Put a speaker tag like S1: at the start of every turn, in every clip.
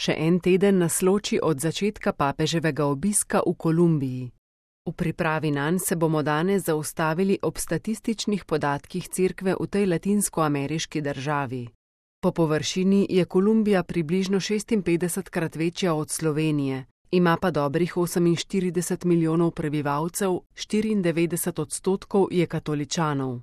S1: Še en teden nas loči od začetka papeževega obiska v Kolumbiji. V pripravi nanj se bomo danes zaustavili ob statističnih podatkih cerkve v tej latinskoameriški državi. Po površini je Kolumbija približno 56-krat večja od Slovenije, ima pa dobrih 48 milijonov prebivalcev, 94% je katoličanov.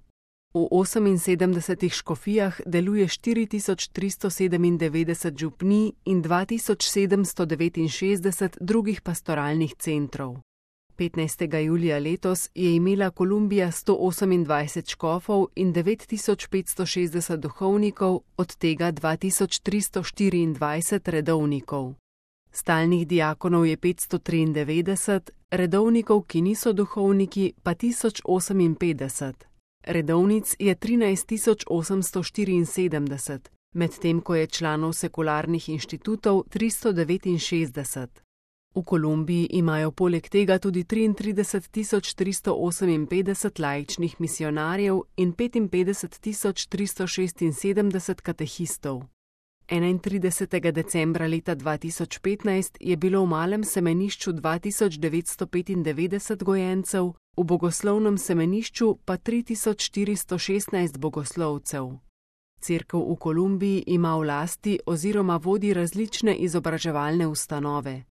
S1: V 78 škofijah deluje 4397 župnij in 2769 drugih pastoralnih centrov. 15. julija letos je imela Kolumbija 128 škofov in 9560 duhovnikov, od tega 2324 redovnikov. Stalnih diakonov je 593, redovnikov, ki niso duhovniki, pa 1058. Redovnic je 13874, medtem ko je članov sekularnih inštitutov 369. V Kolumbiji imajo poleg tega tudi 33358 laičnih misijonarjev in 55376 katehistov. 31. decembra leta 2015 je bilo v malem semenišču 2995 gojencev, v bogoslovnem semenišču pa 3416 bogoslovcev. Cerkev v Kolumbiji ima v lasti oziroma vodi različne izobraževalne ustanove.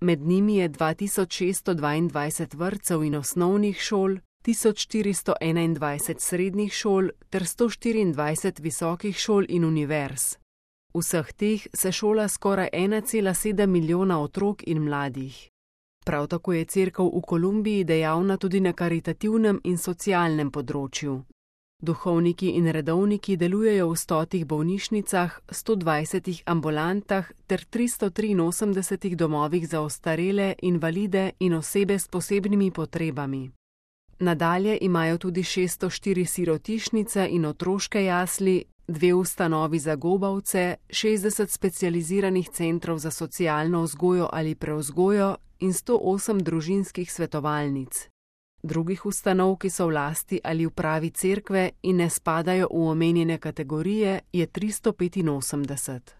S1: Med njimi je 2622 vrtcev in osnovnih šol, 1421 srednjih šol ter 124 visokih šol in univerz. Vseh teh se šola skoraj 1,7 milijona otrok in mladih. Prav tako je cerkev v Kolumbiji dejavna tudi na karitativnem in socialnem področju. Duhovniki in redovniki delujejo v 100 bolnišnicah, 120 ambulantah ter 383 domovih za ostarele, invalide in osebe s posebnimi potrebami. Nadalje imajo tudi 604 sirotišnice in otroške jasli, 2 ustanovi za gobavce, 60 specializiranih centrov za socialno vzgojo ali prevzgojo in 108 družinskih svetovalnic. Drugih ustanov, ki so v lasti ali upravi cerkve in ne spadajo v omenjene kategorije, je 385.